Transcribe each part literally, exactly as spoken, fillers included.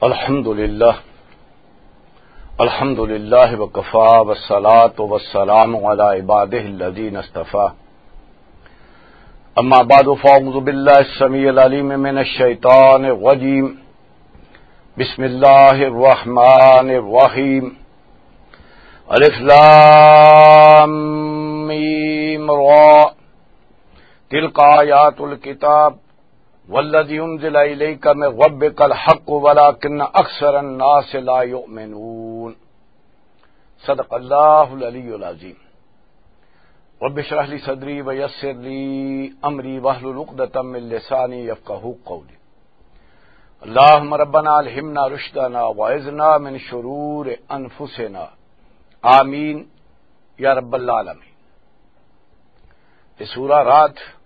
الحمد لله. الحمد لله وكفى، والصلاة والسلام على عباده الذين اصطفى. أما بعد، فأعوذ بالله السميع العليم من الشيطان الرجيم. بسم الله الرحمن الرحيم. ألف لام ميم را. تلك آيات الكتاب والذي أنزل إليك من ربك الحق ولكن أكثر الناس لا يؤمنون. صدق الله العلي العظيم. رب اشرح لي صدري ويسر لي أمري واحلل عقدة من لساني يفقهوا قولي. اللهم ربنا ألهمنا رشدنا وأعذنا من شرور أنفسنا. آمين يا رب العالمين. یہ سورہ رات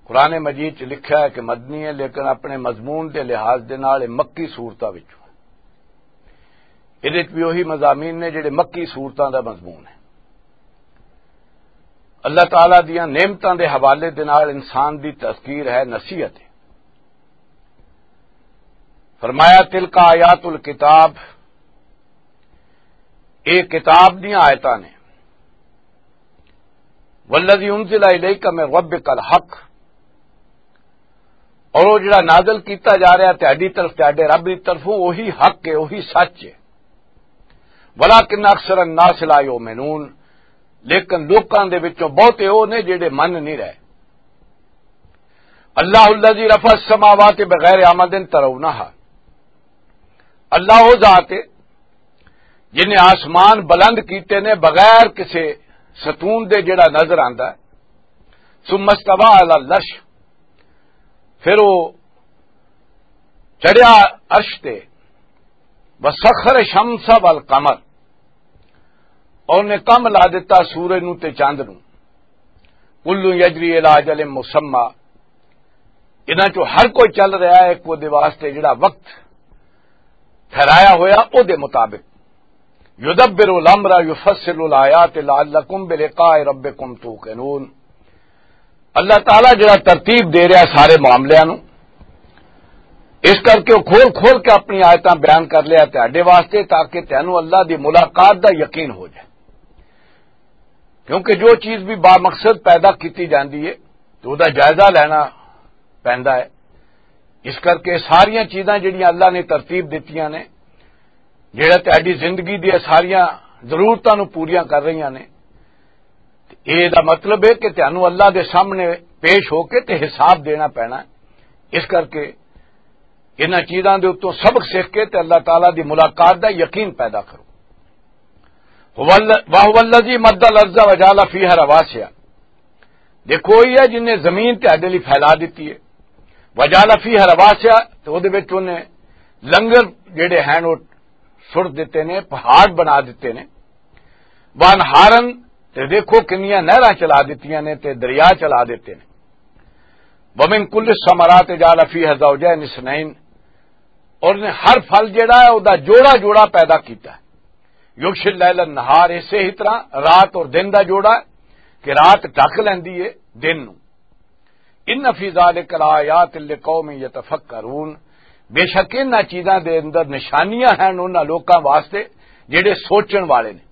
قرآن مجید چ لکھا ہے کہ مدنی ہے، لیکن اپنے مضمون دے لحاظ دے نال یہ مکی سورتاں وچوں ہے۔ یہ بھی وہی مضامین نے جڑے مکی سورتاں دا مضمون ہے۔ اللہ تعالیٰ دیاں نعمتاں دے حوالے دے نال انسان دی تذکیر ہے، نصیحت ہے۔ فرمایا، تلک آیات الکتاب، اے کتاب دیاں آیتاں نے۔ والذی انزل الیک من ربک الحق، اور وہ جڑا نازل کیتا جا رہا ہے تہاڈی طرف، تہاڈے رب دی طرفوں، وہی حق ہے، وہی سچ ہے۔ ولکن اکثر الناس لا یؤمنون، لیکن لوکاں دے وچوں بہتے او نے جڑے من نہیں رہے۔ اللہ الذی رفع السماوات بغیر عمد ترونہا، اللہ وہ ذات ہے جن نے آسمان بلند کیتے نے بغیر کسے ستون دے جڑا نظر آندا ہے۔ ثم استوى على العرش، پھر وہ چڑھیا عرش تے۔ وسخر الشمس والقمر، اور نے کم لا دتا سورج نو تے چاند نو۔ کل یجری الی اجل مسمی، انہاں چوں ہر کوئی چل رہا ہے ایک وہ دے واسطے جڑا وقت ٹھہرایا ہویا او دے مطابق۔ یدبر الامر یفصل الآیات لعلکم بلقاء ربکم توقنون۔ اللہ تعالیٰ جڑا ترتیب دے رہا سارے معاملیاں نو، اس کر کے وہ کھول کھول کے اپنی آیتاں بیان کر لیا تہاڈے واسطے، تاکہ تینوں اللہ دی ملاقات دا یقین ہو جائے۔ کیونکہ جو چیز بھی بامقصد پیدا کیتی جاندی ہے تو دا جائزہ لینا پیندا ہے۔ اس کر کے ساریاں چیزاں جڑیاں اللہ نے ترتیب دتیاں نے، جڑا تہاڈی زندگی دی ساریاں ضرورتاں نو پوریاں کر رہیاں نے، تے اے دا مطلب ہے کہ تانوں اللہ دے سامنے پیش ہو کے تے حساب دینا پینا ہے۔ اس کر کے انہاں چیزاں دے اتوں سبق سیکھ کے تے اللہ تعالیٰ دی ملاقات دا یقین پیدا کرو۔ هو ال-، وهو الذي مد الارض وجعل فيها رواسي۔ دیکھو، وہی ہے جن نے زمین تہاڈے لئی پھیلا دتی ہے۔ وجعل فيها رواسي، تے او دے وچ انہیں لنگر جڑے ہیں وہ سٹ دتے نے، پہاڑ بنا دتے نے۔ وانہارن، تے دیکھو کنیاں نہراں چلا دتیاں نے تے دریا چلا دتے نے۔ ومن كل الثمرات جعل فيها زوجين اثنين، اور نے ہر پھل جڑا ہے او دا جوڑا جوڑا پیدا کیتا ہے۔ یغشی اللیل النہار، اسے ہی طرح رات اور دن دا جوڑا ہے کہ رات ڈھک لیندی ہے دن نو۔ ان فی ذلک لآیات لقوم یتفکرون، بے شک انہاں چیزاں دے اندر نشانیاں ہیں انہاں لوکاں واسطے جڑے سوچن والے نے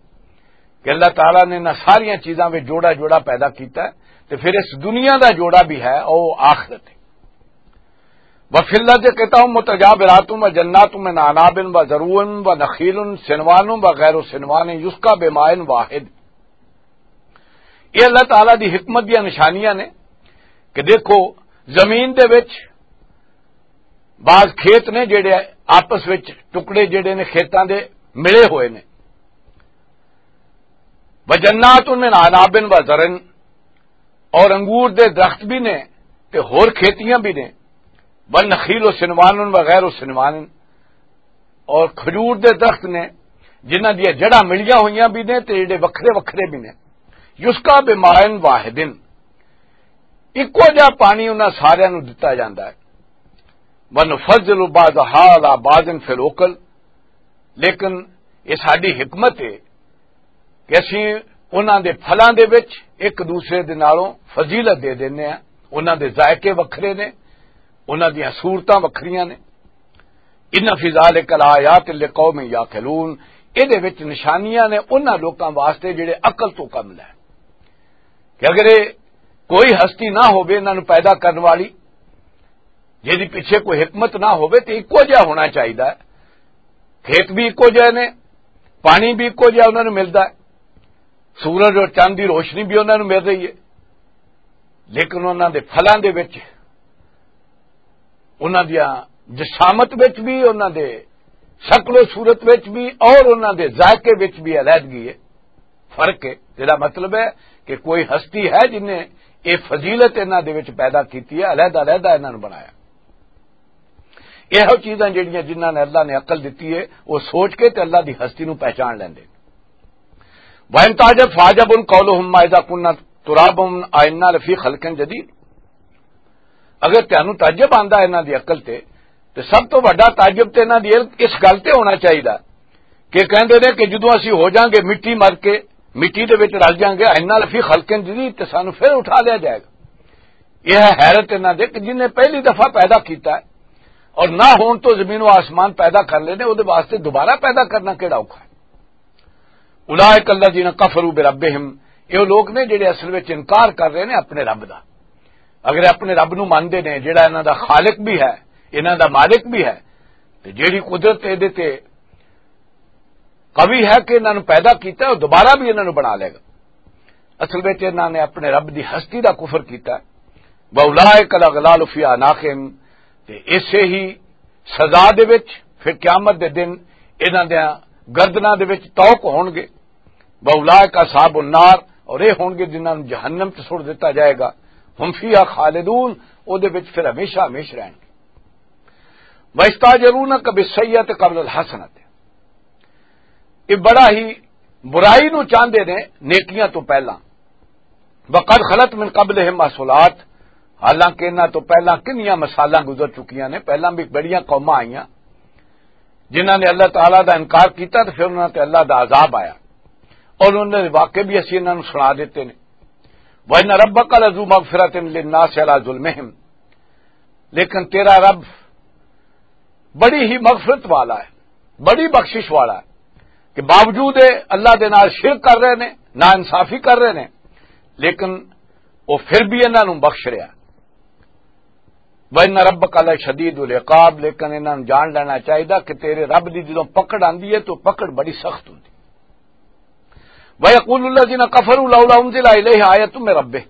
کہ اللہ تعالیٰ نے انہاں ساریاں چیزاں وچ جوڑا جوڑا پیدا کیتا ہے، تے پھر اس دنیا دا جوڑا بھی ہے، او آخرت ہے۔ وفی الارض قطع متجاورات وجنات من اعناب وزروع ونخیل صنوان وغیر صنوان یسقی بماء واحد۔ یہ اللہ تعالیٰ دی حکمت دیاں نشانیاں نے کہ دیکھو، زمین دے وچ بعض کھیت نے جڑے آپس وچ ٹکڑے جڑے نے کھیتاں دے ملے ہوئے نے۔ وجنات من اعناب وزرع، اور انگور دے درخت بھی نے تے ہور کھیتیاں بھی نے۔ والنخیل صنوان وغیر صنوان، اور کھجور دے درخت نے جنہاں دیاں جڑاں ملیاں ہوئیاں بھی نے تے جڑے وکھرے وکھرے بھی نے۔ یسقی بماء واحد، اکو جہا پانی انہاں ساریاں نوں دتا جاندا ہے۔ ونفضل بعضها علی بعض فی الاکل، لیکن یہ ساڈی حکمت ہے کہ اسی انہاں دے پھلاں دے وچ ایک دوسرے دے نالوں فضیلت دے دینے ہیں۔ انہاں دے ذائقے وکھرے نے، انہاں دیاں صورتاں وکھریاں نے۔ ان فی ذالک لآیات لقوم یعقلون، اے دے وچ نشانیاں نے انہاں لوکاں واسطے جڑے عقل تو کم لے۔ کہ اگر اے کوئی ہستی نہ ہووے انہاں نوں پیدا کرن والی، جے دی پیچھے کوئی حکمت نہ ہووے، تے اکو جہا ہونا چاہیدا ہے۔ کھیت بھی اکو جہے نے، پانی بھی اکو جہا انہاں نوں ملدا ہے، سورج اور چند دی روشنی بھی انہاں نوں مل رہی ہے، لیکن انہاں دے پھلاں دے وچ، انہاں دیاں جسامت وچ بھی، انہاں دے شکل و صورت وچ بھی اور انہاں دے ذائقے وچ بھی علیحدگی ہے، فرق ہے۔ جڑا مطلب ہے کہ کوئی ہستی ہے جن نے یہ فضیلت انہاں دے وچ پیدا کیتی ہے، علیحدہ علیحدہ انہاں نوں بنایا۔ یہ چیزاں جڑیاں جنہاں نے اللہ نے عقل دتی ہے، وہ سوچ کے تے اللہ دی ہستی نوں پہچان لیندے۔ وَإِن تَعْجَبْ فَعَجَبٌ قَوْلُهُمْ أَإِذَا كُنَّا تُرَابًا أَإِنَّا لَفِي خَلْقٍ جَدِيدٍ۔ اگر تانوں تعجب آندا ہے انہاں دی عقل تے، تے سب تو وڈا تعجب تے انہاں دی اس گل تے ہونا چاہیدا کہ کہندے نے کہ جدوں اسی ہو جاؤں گے مٹی مر کے، مٹی دے وچ رل جاؤں گے، انا لفی خلقن جدید، تے سانوں پھر اٹھا لیا جائے گا۔ یہ ہے حیرت انہاں دے کہ جن نے پہلی دفعہ پیدا کیتا ہے اور نہ ہون تو زمین و آسمان پیدا کر لینے، او دے واسطے دوبارہ پیدا کرنا کیڑا اوکھا ہے؟ اولئک الذین کفروا بربہم، یہ لوگ نے جڑے اصل وچ انکار کر رہے نے اپنے رب دا۔ اگر یہ اپنے رب نو مانتے نے جڑا انہاں دا خالق بھی ہے، انہاں دا مالک بھی ہے، تے جڑی قدرت اے دے تے قوی ہے کہ انہاں نو پیدا کیتا ہے، وہ دوبارہ بھی انہاں نو بنا لے گا۔ اصل وچ انہاں نے اپنے رب دی ہستی دا کفر کیتا ہے۔ واولئک الاغلال فی اعناقہم، تے ایسے ہی سزا دے وچ پھر قیامت دے دن انہاں دیاں گردناں دے وچ طوق ہون گے۔ واولئک اصحاب النار، اور یہ ہون گے جنہاں نوں جہنم تے سٹ دتا جائے گا۔ ہم فیہا خالدون، او دے وچ پھر ہمیشہ ہمیش رہن گے۔ وَيَسْتَعْجِلُونَكَ بِالسَّيِّئَّةِ قَبْلَ الْحَسَنَةِ، یہ بڑا ہی برائی نو چاہندے نے نیکیاں تو پہلا۔ وَقَدْ خَلَتْ مِنْ قَبْلِهِمْ مَثُلَاتٌ، حالانکہ انہاں تو پہلا کنیاں مثالاں گزر چکیاں نے، پہلا بھی بڑیاں قوماں آئیاں جنہاں نے اللہ تعالیٰ دا انکار کیتا تے پھر انہاں تے اللہ دا عذاب آیا اور انہاں دے واقعے بھی اسی انہاں نوں سنا دیتے نے۔ وَإِنَّ رَبَّكَ لَذُو مَغْفِرَةٍ لِلنَّاسِ عَلَى ظُلْمِهِمْ، لیکن تیرا رب بڑی ہی مغفرت والا ہے، بڑی بخشش والا ہے، کہ باوجود اللہ دے نال شرک کر رہے نے، نا انصافی کر رہے نے، لیکن وہ پھر بھی انہاں نوں بخش رہا۔ وَإِنَّ رَبَّكَ لَشَدِيدُ الْعِقَابِ، لیکن انہاں نوں جان لینا چاہیدا کہ تیرے رب دی جدوں پکڑ آندی ہے تو پکڑ بڑی سخت ہوندی۔ وَيَقُولُ الَّذِينَ كَفَرُوا لَوْلَا أُنْزِلَ عَلَيْهِ آيَةٌ مِّن رَّبِّهِ،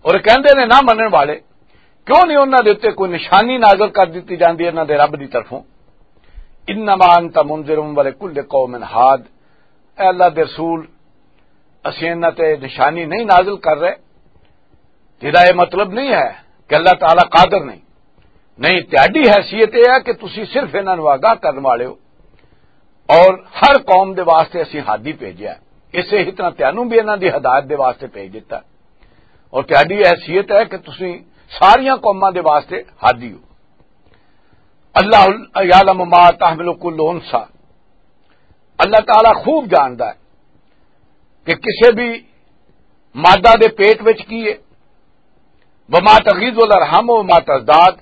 اور کہندے نے نہ منن والے، کیوں نہیں انہاں دے اُتے کوئی نشانی نازل کر دتی جاندی انہاں دے رب دی طرفوں؟ انما انت منذر ولکل قوم ہاد، اے اللہ دے رسول، اسیں انہاں تے نشانی نہیں نازل کر رہے، تیرا یہ مطلب نہیں ہے کہ اللہ تعالیٰ قادر نہیں۔ نہیں، تہاڈی حیثیت یہ ہے کہ تسی صرف انہاں نوں آگاہ کرن والے ہو، اور ہر قوم دے واسطے اسی ہادی بھیجیا ہے، اسے ہی طرح تینوں بھی انہاں دی ہدایت دے واسطے بھیج دیتا ہے۔ اور تہاڈی حیثیت ہے کہ تسی ساریاں قوماں دے واسطے ہادی ہو۔ اللہ یعلم ما تحمل کل انثی، اللہ تعالیٰ خوب جاندا ہے کہ کسے بھی مادہ دے پیٹ وچ کی ہے، وما تغیض الارحام وما تزداد،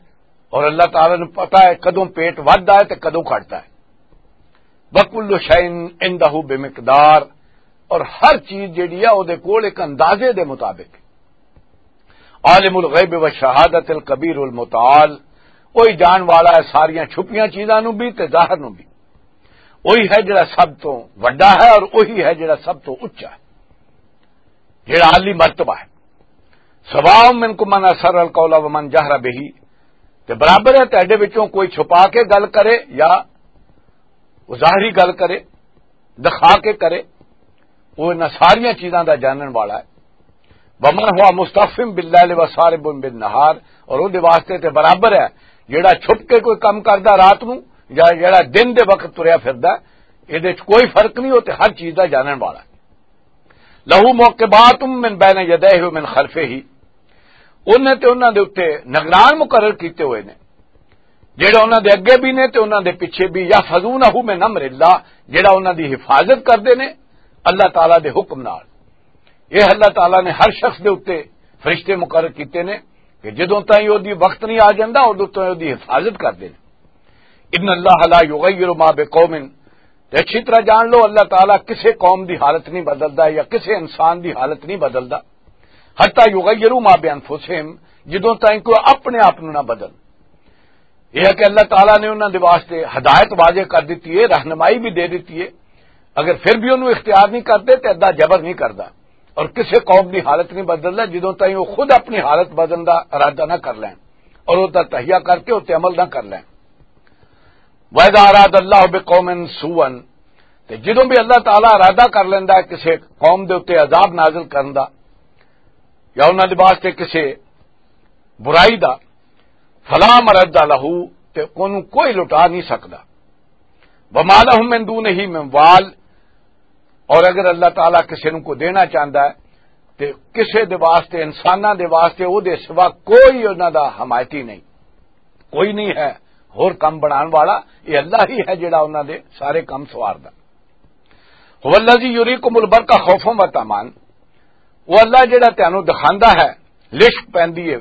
اور اللہ تعالیٰ نوں پتا ہے کدوں پیٹ ودھدا ہے تے کدوں گھٹدا ہے۔ وَكُلُّ شَيْءٍ عِندَهُ بِمِقْدَارٍ، اور ہر چیز جیڑی ہے او دے کول ایک اندازے دے مطابق۔ عَالِمُ الْغَيْبِ وَالشَّهَادَةِ الْكَبِيرُ الْمُتَعَالِ، وہی جان والا ہے ساریاں چھپیاں چیزاں نوں بھی تے ظاہر نوں بھی۔ وہی ہے جڑا سب تو وڈا ہے اور وہی ہے جڑا سب تو اچا ہے، جڑا عالی مرتبہ ہے۔ سواء منکم من اسر القول ومن جہر بہ، تے برابر ہے تہاڈے وچوں کوئی چھپا کے گل کرے یا وہ ظاہری گل کرے، دکھا کے کرے، وہ انہاں ساریاں چیزاں دا جانن والا ہے۔ ومن هو مستخف باللیل وسارب بالنهار، اور اون دے واسطے تے برابر ہے جڑا چھپ کے کوئی کم کردا رات نو یا جڑا دن دے وقت تریا پھردا ہے، اے دے وچ کوئی فرق نہیں، وہ تے ہر چیز دا جانن والا ہے۔ لہو معقبات من بین یدیہ ومن خلفہ، انہیں تے انہاں دے اُتے نگران مقرر کیتے ہوئے نے، جڑے انہاں دے اگے بھی نے تے انہاں دے پیچھے بھی، یحفظونہ من امر اللہ، جڑا انہاں دی حفاظت کردے نے اللہ تعالیٰ دے حکم نال۔ یہ اللہ تعالیٰ نے ہر شخص دے اُتے فرشتے مقرر کیتے نے کہ جدوں تائیں او دی وقت نہیں آ جاندا، اُدوں تائیں او دی حفاظت کردے نے۔ ان اللہ لا یغیر ما بقوم، تے اچھی طرح جان لو، اللہ تعالیٰ کسے قوم دی حالت نہیں بدلدا یا کسے انسان دی حالت نہیں بدلدا، حتی یغیروا ما بانفسہم، جدوں تائیں کوئی اپنے آپ نوں نہ بدل۔ یہ ہے کہ اللہ تعالیٰ نے انہاں دے واسطے ہدایت واضح کر دتی ہے، رہنمائی بھی دے دتی ہے۔ اگر پھر بھی انہوں اختیار نہیں کرتے تے ادا جبر نہیں کردا، اور کسے قوم دی حالت نہیں بدلدا جدوں تائیں وہ خود اپنی حالت بدلن دا ارادہ نہ کر لین اور اس دا تہیہ کر کے اس تے عمل نہ کر لین۔ وَإِذَا أَرَادَ اللَّهُ بِقَوْمٍ سُوءًا، تے جدوں بھی اللہ تعالیٰ ارادہ کر لیندا ہے کسے قوم دے اُتے عذاب نازل کرن دا یا انہاں دے واسطے کسے برائی دا، فَلَا مَرَدَّ لَهُ، تے انہوں کوئی لٹا نہیں سکدا۔ وَمَا لَهُم مِّن دُونِهِ مِّن وَالٍ، اور اگر اللہ تعالیٰ کسے نوں کو دینا چاہندا ہے تے کسے دے واسطے، انساناں دے واسطے او دے سوا کوئی انہاں دا حمایتی نہیں، کوئی نہیں ہے ہور کم بنان والا۔ یہ اللہ ہی ہے جڑا انہاں دے سارے کم سواردا۔ هُوَ الَّذِي يُرِيكُمُ الْبَرْقَ خَوْفًا وَطَمَعًا، وہ اللہ جڑا تینوں دکھاندا ہے، لشک پیندی ہے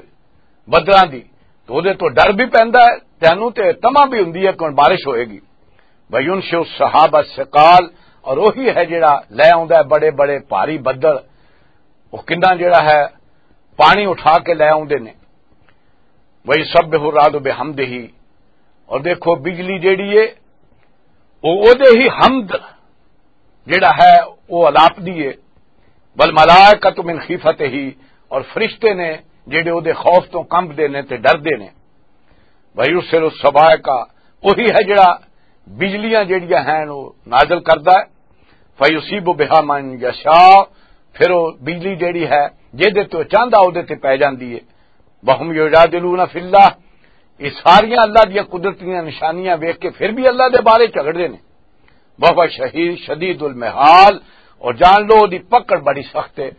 بدلاں دی، تو دے تو ڈر بھی پیندا ہے تینوں، تے تما بھی ہوندی ہے کہ ہن بارش ہوئے گی۔ وَيُنْشِئُ السَّحَابَ الثِّقَالَ، اور وہی ہے جڑا لے آوندا ہے بڑے بڑے بھاری بدل، وہ کنا جڑا ہے پانی اٹھا کے لے آوندے نے۔ وَيُصَبِّحُ الرَّعْدُ بِحَمْدِهِ، اور دیکھو بجلی جڑی ہے، وہ اودے ہی حمد جڑا ہے، وہ الاپ دی ہے۔ وَالْمَلَائِكَةُ مِنْ خِيفَتِهِ، اور فرشتے نے جڑے اودے خوف تو کمب دے نے تے ڈر دے نے۔ وَيُرْسِلُ الصَّوَاعِقَ، وہی ہے جڑا بجلیاں جڑیاں ہیں وہ نازل کردا ہے۔ فَيُصِيبُ بِهَا مَنْ يَشَاءُ، پھر وہ بجلی جڑی ہے جے دے تو چاہندا اودے تے پے جاندی ہے۔ وَهُمْ يُجَادِلُونَ فِي اللَّهِ، یہ ساریاں اللہ دیاں قدرت دیاں نشانیاں ویکھ کے پھر بھی اللہ دے بارے جھگڑدے نے۔ وَهُوَ شَدِيدُ، شَدِيدُ الْمِحَالِ، اور جان لو دی پکڑ بڑی سخت ہے۔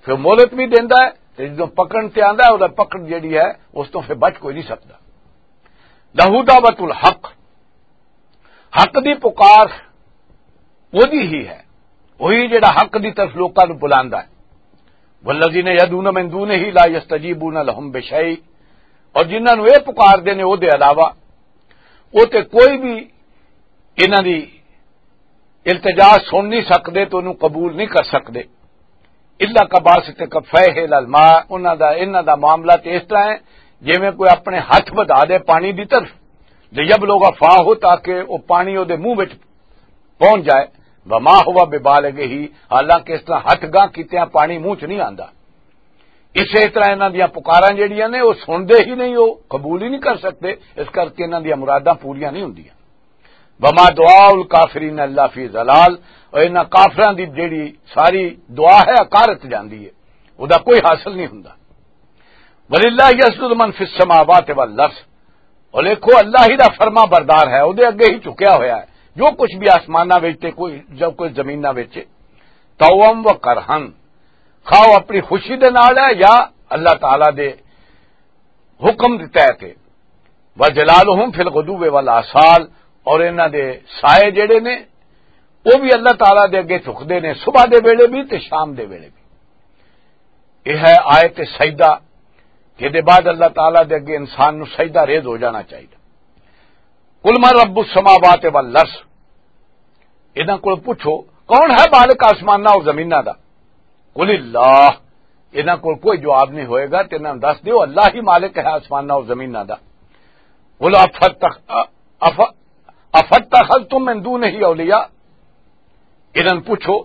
پھر مہلت بھی دیندا ہے تے جدوں پکڑن تے آندا ہے، اودا پکڑ جڑی ہے اس تو پھر بچ کوئی نہیں سکدا۔ لَهُ دَعْوَةُ الْحَقِّ، حق دی پکار وہی ہی ہے، وہی جڑا حق دی طرف لوکاں نوں بلاندا ہے۔ وَالَّذِينَ يَدْعُونَ مِن دُونِهِ لَا يَسْتَجِيبُونَ لَهُمْ بِشَيْءٍ، اور جنہاں نوں اے پکار دے نے او دے علاوہ، او تے کوئی بھی انہاں دی التجا سن نہیں سکدے، تو انہوں قبول نہیں کر سکدے۔ الا کباسط کفیہ الی الماء، انہاں دا، انہاں دا معاملہ تے اس طرح ہے جویں کوئی اپنے ہاتھ ودھا دے پانی دی طرف، لیبلغ فاہ، تاکہ وہ پانی او دے منہ وچ پہنچ جائے۔ وما ہوا ببالغہ، حالانکہ اس طرح ہاتھ گاں کیتیاں پانی منہ چ نہیں آندا۔ اسی طرح انہاں دیاں پکاراں جڑیاں نے، وہ سنتے ہی نہیں، وہ قبول ہی نہیں کر سکتے، اس کر کے انہاں دیاں مراداں پوریاں نہیں ہوندیاں۔ وما دعاء الکافرین الا فی ضلال، اور انہاں کافراں دی جڑی ساری دعا ہے، اکارت جاندی ہے، او دا کوئی حاصل نہیں ہوندا۔ وللہ یسجد من فی السماوات والارض، اور دیکھو اللہ ہی دا فرما بردار ہے، او دے اگے ہی جھکیا ہویا ہے جو کچھ بھی آسماناں وچ تے کوئی جو کچھ زمیناں وچ ہے۔ توم و کرہن، خواہ اپنی خوشی دے نال ہے یا اللہ تعالیٰ دے حکم دے تحت ہے۔ وظلالہم فی الغدو والآصال، اور انہاں دے سائے جڑے نے، وہ بھی اللہ تعالیٰ دے اگے جھکدے نے، صبح دے ویلے بھی تے شام دے ویلے بھی۔ یہ ہے آیت سجدہ، کہ دے بعد اللہ تعالیٰ دے اگے انسان نو سجدہ ریز ہو جانا چاہیے۔ قل من رب السماوات والارض، انہاں کول پوچھو، کون ہے مالک آسماناں اور زمیناں دا؟ قل اللہ، انہاں کول کوئی جواب نہیں ہوئے گا، تے انہاں نوں دس دیو، اللہ ہی مالک ہے آسماناں اور زمیناں دا۔ قل افتخ-، اف-، افتخذتم من دونہ اولیاء، انہاں نوں پوچھو،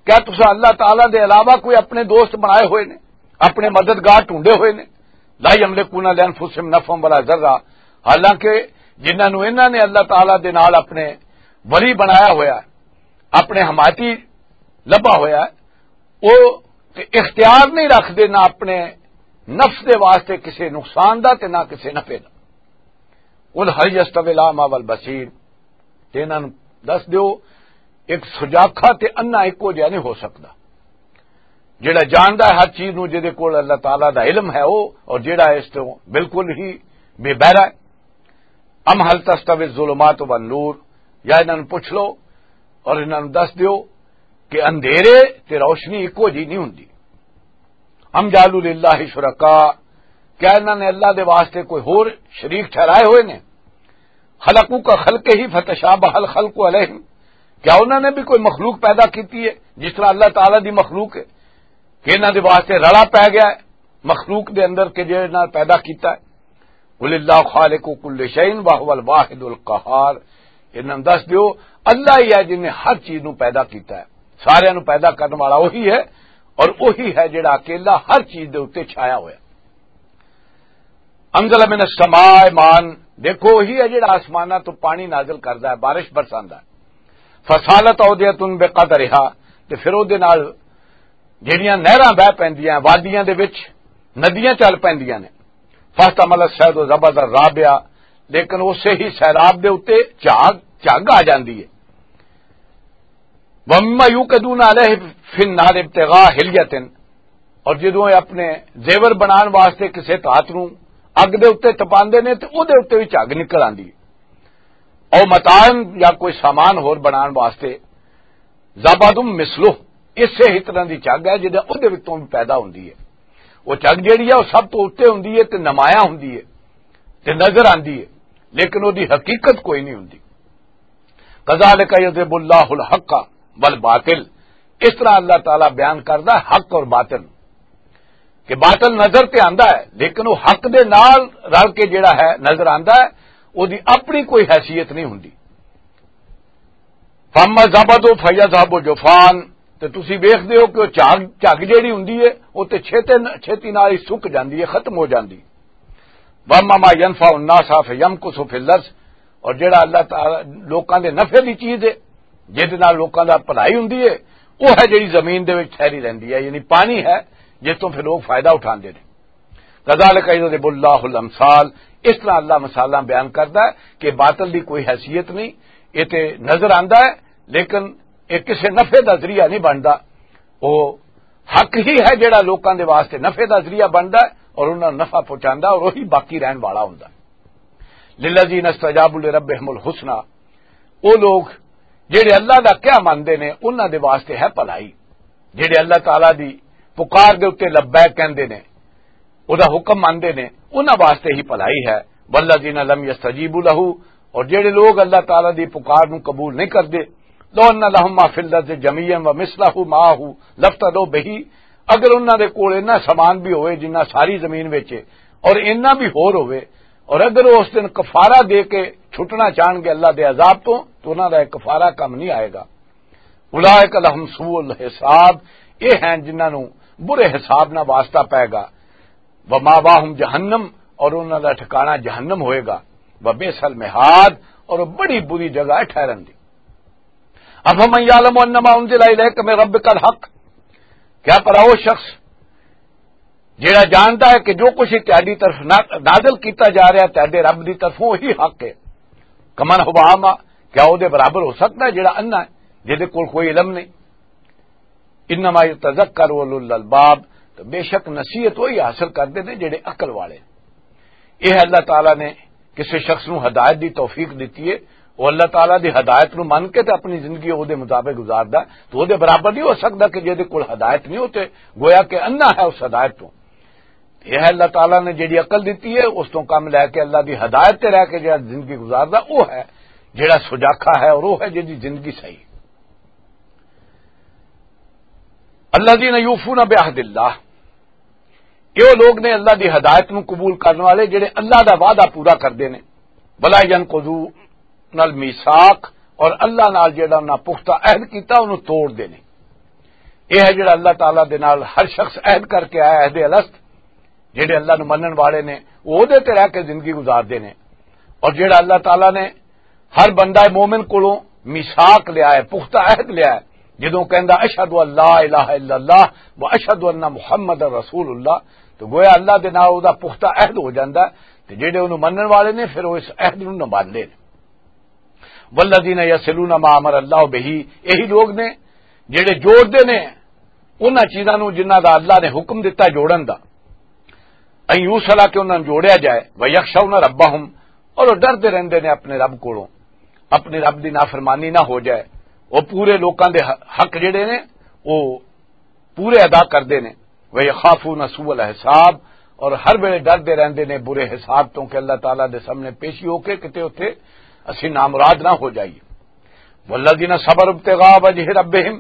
کیا تساں اللہ تعالیٰ دے علاوہ کوئی اپنے دوست بنائے ہوئے نے، اپنے مددگار ڈھونڈے ہوئے نے؟ لا یملکون لانفسہم نفعا ولا ضرا، حالانکہ جنہاں نوں انہاں نے اللہ تعالیٰ دے نال اپنے ولی بنایا ہویا ہے، اپنے حمایتی لبا ہویا ہے، وہ تے اختیار نہیں رکھدے نہ اپنے نفس دے واسطے کسے نقصان دا تے نہ کسے نفع دا۔ قل هل يستوي الاعمى والبصير، تے انہاں نوں دس دیو، ایک سجاکھا تے انا ایکو جہا نہیں ہو سکدا۔ جڑا جاندا ہے ہر چیز نوں، جدے کول اللہ تعالیٰ دا علم ہے وہ، اور جڑا اس تو بالکل ہی بے بہرا ہے۔ ام هل تستوي الظلمات والنور، یا انہاں نوں پوچھ لو اور انہاں نوں دس دیو کہ اندھیرے تے روشنی ایکو جی نہیں ہوندی۔ ام جعلوا للہ شرکاء، کیا انہاں نے اللہ دے واسطے کوئی ہور شریک ٹھہرائے ہوئے نے؟ خلقوا کا خلق ہی فتشابہ الخلق علیہم، کیا انہوں نے بھی کوئی مخلوق پیدا کیتی ہے جس طرح اللہ تعالیٰ دی مخلوق ہے، کہ انہاں دے واسطے رلا پی گیا ہے مخلوق دے اندر کہ جے نال پیدا کیتا ہے؟ قل اللہ خالق کل شیء وہو الواحد القہار۔ انہاں نوں دس دیو، اللہ ہی ہے جن نے ہر چیز نو پیدا کیتا ہے، سارے نو پیدا کرنے والا وہی ہے، اور وہی ہے جڑا اکیلا ہر چیز دے اوتے چھایا ہویا۔ انزل من السماء ماء، دیکھو وہی ہے جڑا آسماناں تو پانی نازل کردا ہے، بارش برساندا ہے۔ فسالت اودیۃ بقدرہا، تے پھر او دے نال جڑیاں نہراں بہ پیندیاں، وادیاں دے وچ ندیاں چل پیندیاں نے۔ فاحتمل السیل زبدا رابع، لیکن اسے ہی سیلاب دے اُتے جھاگ، جھگ آ جاندی ہے۔ وَمِمَّا يُوقِدُونَ عَلَيْهِ فِي النَّارِ ابْتِغَاءَ حِلْيَةٍ، اور جدوں یہ اپنے زیور بنان واسطے کسے دھات نوں اگ دے اُتے تپاندے نے تے او دے اُتے وی جھگ نکل آندی ہے۔ او متاعن، یا کوئی سامان ہور بنان واسطے، زبد مثلہ، اسے ہی طرح دی جھگ ہے جدے او دے وچوں بھی پیدا ہوندی ہے۔ وہ جھگ جیڑی ہے وہ سب تو اُتے ہوندی ہے تے نمایاں ہوندی ہے تے نظر آندی ہے، لیکن او دی حقیقت کوئی نہیں ہوندی۔ کذالک یضرب اللہ الحق والباطل، اس طرح اللہ تعالیٰ بیان کردا ہے حق اور باطل، کہ باطل نظر تے آندا ہے لیکن وہ حق دے نال رل کے جڑا ہے نظر آندا ہے، او دی اپنی کوئی حیثیت نہیں ہوندی۔ فَأَمَّا الزَّبَدُ فَيَذْهَبُ جُفَاءً، تے تسی ویکھدے ہو کہ وہ جھگ، جھگ جیڑی ہوندی ہے، وہ تے چھیتے، چھیتی نال ہی سک جاندی ہے، ختم ہو جاندی۔ وَأَمَّا مَا يَنْفَعُ النَّاسَ فَيَمْكُثُ فِي الْأَرْضِ، اور جڑا اللہ تعالیٰ لوکاں دے نفع دی چیز ہے، جس دے نال لوکاں دا بھلائی ہوندی ہے، وہ ہے جڑی زمین دے وچ ٹھہری رہندی ہے، یعنی پانی ہے جس تو پھر لوگ فائدہ اٹھاندے نے۔ کذالک یضرب اللہ الامثال، اس طرح اللہ مثالاں بیان کردا ہے کہ باطل دی کوئی حیثیت نہیں، یہ تے نظر آندا ہے، لیکن یہ کسے نفع دا ذریعہ نہیں بندا۔ وہ حق ہی ہے جڑا لوکاں دے واسطے نفع دا ذریعہ بندا ہے اور انہاں نوں نفع پہنچاندا اور وہی باقی رہن والا ہوندا ہے۔ للذین استجابوا لربهم الحسنی، وہ لوگ جڑے اللہ دا کیا مندے نے، انہاں دے واسطے ہے بھلائی۔ جڑے اللہ تعالیٰ دی پکار دے اُتے لبیک کہندے نے، او دا حکم مندے نے، انہاں واسطے ہی بھلائی ہے۔ والذین لم یستجیبوا لہ، اور جڑے لوگ اللہ تعالیٰ دی پکار نوں قبول نہیں کردے، لو ان لہم ما فی الارض جمیعا ومثلہ معہ لافتدوا بہ، اگر انہاں دے کول اتنا سامان بھی ہوئے جنہ ساری زمین وچ ہے، اور اتنا بھی ہور ہوئے، اور اگر وہ اس دن کفارہ دے کے چھٹنا چاہن گے اللہ دے عذاب تو، تو انہاں دا ایک کفارہ کم نہیں آئے گا۔ اولئک لہم سوء الحساب، یہ ہیں جنہاں نوں برے حساب نہ واسطہ پائے گا۔ وماواہم جہنم، اور انہاں دا ٹھکانہ جہنم ہوئے گا۔ وبئس المہاد، اور بڑی بری جگہ ہے ٹھہرن دی۔ افمن یعلم انما انزل الیک من ربک الحق، کیا پر وہ شخص جڑا جاندا ہے کہ جو کچھ تہاڈی طرف نا-، نازل کیتا جا رہا ہے تہاڈے رب دی طرفوں، وہی حق ہے۔ کمن ہوا اعمی، کیا او دے برابر ہو سکتا ہے جڑا انا ہے، جے دے کول کوئی علم نہیں؟ انما یتذکر اولو الالباب، تو بے شک نصیحت وہی حاصل کردے نے جڑے عقل والے۔ یہ اللہ تعالیٰ نے کسی شخص نو ہدایت دی توفیق دتی ہے، وہ اللہ تعالیٰ دی ہدایت نو من کے تے اپنی زندگی او دے مطابق گزاردا ہے، تو او دے برابر نہیں ہو سکدا کہ جے دے کول ہدایت نہیں ہو تے گویا کہ انا ہے اس ہدایت تو۔ یہ ہے اللہ تعالیٰ نے جڑی عقل دتی ہے، اس تو کم لے کے اللہ دی ہدایت تے رہ کے جڑا زندگی گزاردا، وہ ہے جڑا سجاکھا ہے اور وہ ہے جڑی زندگی صحیح۔ الذین یوفون بعہد اللہ، یہ وہ لوگ نے اللہ دی ہدایت نو قبول کرنے والے جڑے اللہ دا وعدہ پورا کردے نے۔ ولا ینقضون المیثاق، اور اللہ نال جڑا انہاں پختہ عہد کیتا انہوں توڑ دے نے۔ یہ ہے جڑا اللہ تعالیٰ دے نال ہر شخص عہد کر کے آیا، عہد الست، جڑے اللہ نو منن والے نے، وہ دے تے رہ کے زندگی گزار دے نے۔ اور جڑا اللہ تعالیٰ نے ہر بندہ مومن کولوں میثاق لیا ہے، پختہ عہد لیا ہے، جدوں کہندا، "اشہد ان لا الہ الا اللہ و اشہد ان محمد رسول اللہ"، تو گویا اللہ دے نال او دا پختہ عہد ہو جاندا ہے، تے جڑے انہوں منن والے نے، پھر وہ اس عہد نو نبھاندے نے۔ والذین یصلون ما امر اللہ بہ، یہی لوگ نے جڑے جوڑ دے نے انہاں چیزاں نو جنہاں دا اللہ نے حکم دتا جوڑن دا۔ ان یوصل، کہ انہاں نوں جوڑیا جائے، ویخشون ربہم، اور وہ ڈردے رہندے نے اپنے رب کولوں، اپنے رب دی نافرمانی نہ ہو جائے، وہ پورے لوکاں دے ح-، حق جڑے نے وہ پورے ادا کردے نے۔ ویخافون سوء الحساب، اور ہر ویلے ڈردے رہندے نے برے حساب تو کہ اللہ تعالیٰ دے سامنے پیشی ہو کے کتے اتھے اسی نامراد نہ ہو جائیے۔ والذین صبروا ابتغاء وجہ ربہم،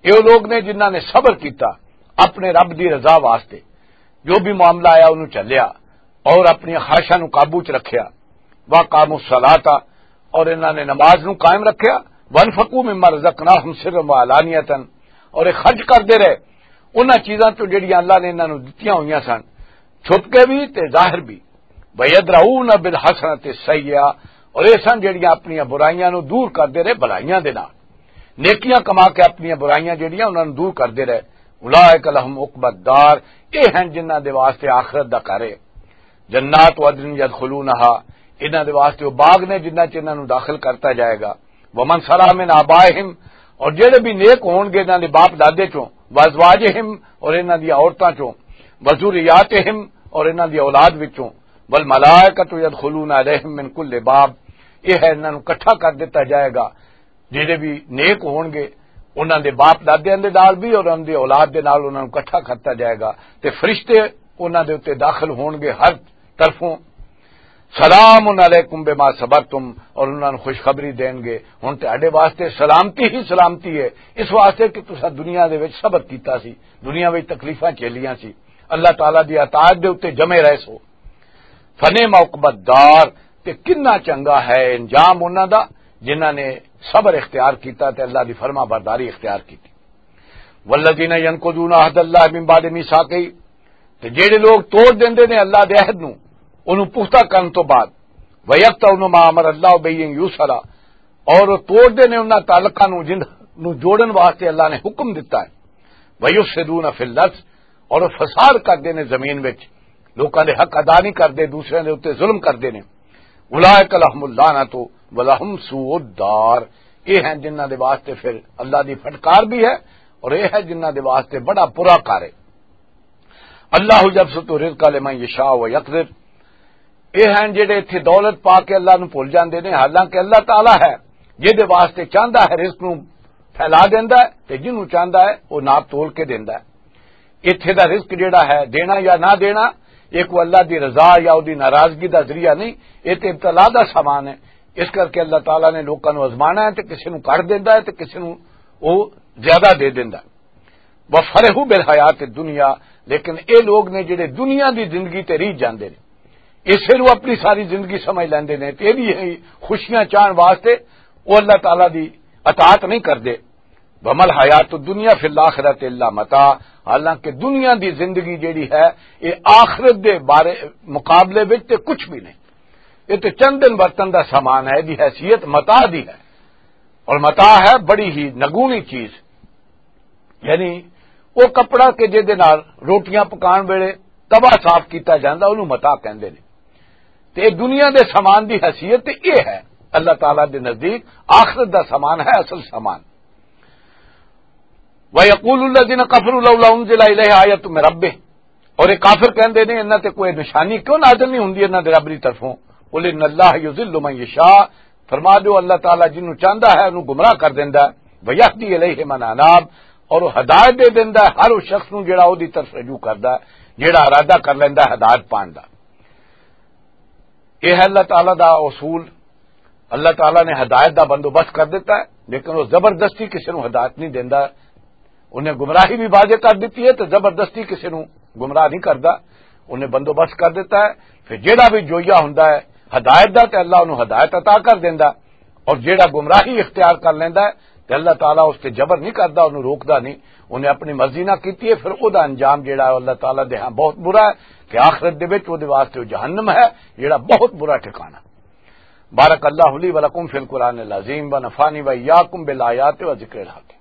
یہ لوگ نے جنہاں نے صبر کیتا اپنے رب دی رضا واسطے، جو بھی معاملہ آیا انہوں چلیا اور اپنی خواہشاں نوں قابو چ رکھیا۔ واقاموا الصلاۃ، اور انہاں نے نماز نوں قائم رکھیا۔ وانفقوا مما رزقناہم سرا وعلانیۃ، اور یہ خرچ کردے رہے انہاں چیزاں تو جڑیاں اللہ نے انہاں نوں دتیاں ہوئیاں سن، چھپ کے بھی تے ظاہر بھی۔ ویدرؤون بالحسنۃ السیئۃ، اور یہ سن جڑیاں اپنیاں برائیاں نوں دور کردے رہے بھلائیاں دے نال۔ نیکیاں کما کے اپنیاں برائیاں جڑیاں انہاں نوں دور کردے رہے۔ اولئک لہم عقبی الدار، یہ ہیں جنہاں دے واسطے آخرت دا گھر ہے۔ جنات عدن یدخلونہا، انہاں دے واسطے وہ باغ نے جنہاں چ انہاں نوں داخل کرتا جائے گا۔ ومن صلح من آبائہم، اور جڑے بھی نیک ہون گے انہاں دے باپ دادے چوں، وازواجہم، اور انہاں دی عورتاں چوں، وذریاتہم، اور انہاں دی اولاد وچوں، والملائکۃ یدخلون علیہم من کل باب، یہ ہے انہاں نوں اکٹھا کر دتا جائے گا۔ جڑے بھی نیک ہون گے انہاں دے باپ دادیاں دے نال بھی اور انہاں دی اولاد دے نال انہاں نوں اکٹھا کرتا جائے گا، تے فرشتے انہاں دے اُتے داخل ہون گے ہر طرفوں۔ سلام علیکم بما صبرتم، اور انہاں نوں خوشخبری دین گے، ہن تہاڈے واسطے سلامتی ہی سلامتی ہے، اس واسطے کہ تساں دنیا دے وچ صبر کیتا سی، دنیا وچ تکلیفاں جھیلیاں سی، اللہ تعالیٰ دی اطاعت دے اُتے جمے رہے سو۔ فنعم عقبی الدار، تے کنا چنگا ہے انجام انہاں دا جنہاں نے صبر اختیار کیتا تے اللہ دی فرما برداری اختیار کیتی۔ والذین ینقضون عہد اللہ من بعد میثاقہ، تے جڑے لوگ توڑ دیندے نے اللہ دے عہد نو، اونوں پختہ کرن تو بعد، ویقطعون ما امر اللہ بہ ان یوصل، اور وہ توڑ دے نے انہاں تعلقاں نو جن نو جوڑن واسطے اللہ نے حکم دتا ہے۔ ویفسدون فی الارض، اور وہ فساد کردے نے زمین وچ، لوکاں دے حق ادا نہیں کردے، دوسرے دے اُتے ظلم کردے نے۔ اولئک لہم اللعنۃ ولہم سوء الدار، یہ ہیں جنہاں دے واسطے پھر اللہ دی پھٹکار بھی ہے، اور یہ ہے جنہاں دے واسطے بڑا برا گھر ہے۔ اللہ یبسط الرزق لمن یشاء ویقدر، یہ ہیں جڑے اتھے دولت پا کے اللہ نو بھول جاندے نے، حالانکہ اللہ تعالیٰ ہے جہدے واسطے چاہندا ہے رزق نو پھیلا دیندا ہے، تے جنوں چاہندا ہے وہ ناپ تول کے دیندا ہے۔ اتھے دا رزق جڑا ہے، دینا یا نہ دینا، یہ کوئی اللہ دی رضا یا اودی ناراضگی دا ذریعہ نہیں، یہ تے ابتلا دا سامان ہے۔ اس کر کے اللہ تعالیٰ نے لوکاں نو آزمانا ہے، تے کسے نو گھٹ دیندا ہے تے کسے نو وہ زیادہ دے دیندا ہے۔ وفرحوا بالحیات الدنیا، لیکن اے لوگ نے جڑے دنیا دی زندگی تے ریجھ جاندے نے، اسے نو اپنی ساری زندگی سمجھ لیندے نے، تے ایہہ خوشیاں چاہن واسطے وہ اللہ تعالیٰ دی اطاعت نہیں کردے۔ وما الحیات الدنیا فی الآخرۃ الا متاع، حالانکہ دنیا دی زندگی جڑی ہے، یہ آخرت دے بارے، مقابلے وچ تے کچھ بھی نہیں۔ یہ تے چند دن برتن دا سامان ہے، دی حیثیت متاع دی ہے، اور متاع ہے بڑی ہی نگونی چیز، یعنی وہ کپڑا کہ جے دے نال روٹیاں پکان ویلے توا صاف کیتا جاندا، اونوں متاع کہندے نے۔ تے دنیا دے سامان دی حیثیت تے یہ ہے، اللہ تعالیٰ دے نزدیک آخرت دا سامان ہے اصل سامان۔ وَيَقُولُ الَّذِينَ كَفَرُوا لَوْلَا أُنزِلَ عَلَيْهِ آيَةٌ مِّن رَّبِّهِ، اور یہ کافر کہندے نے، انہاں تے کوئی نشانی کیوں نازل نہیں ہوندی انہاں دے رب دی طرفوں؟ قُلْ إِنَّ اللَّهَ يُضِلُّ مَن يَشَاءُ، فرما دیو، اللہ تعالیٰ جنوں چاہندا ہے انہوں گمراہ کر دیندا ہے، وَيَهْدِي إِلَيْهِ مَنْ أَنَابَ، اور وہ ہدایت دے دیندا ہے ہر اس شخص نوں جڑا اودی طرف رجوع کردا ہے، جڑا ارادہ کر لیندا ہے ہدایت پان دا۔ یہ ہے اللہ تعالیٰ دا اصول۔ اللہ تعالیٰ نے ہدایت دا بندوبست کر دیتا ہے، لیکن وہ زبردستی کسی نوں ہدایت نہیں دیندا۔ انہیں گمراہی بھی واضح کر دیتی ہے تو زبردستی کسی نوں گمراہ نہیں کردا۔ انہیں بندوبست کر دیتا ہے۔ پھر جیڑا بھی جوئیا ہوندا ہے ہدایت دا، تے اللہ انہوں ہدایت عطا کر دیندا، اور جیڑا گمراہی اختیار کر لیندا ہے، تے اللہ تعالیٰ اس تے جبر نہیں کردا، انہوں روکدا نہیں۔ انہیں اپنی مرضی نہ کیتی ہے، پھر او دا انجام جیڑا ہے اللہ تعالیٰ دے ہاں بہت برا ہے، کہ آخرت دے وچ او دے واسطے او جہنم ہے، جیڑا بہت برا ٹھکانہ۔ بارک اللہ لی و لکم فی القرآن العظیم و نفعنی و ایاکم بالآیات و ذکر الحکیم۔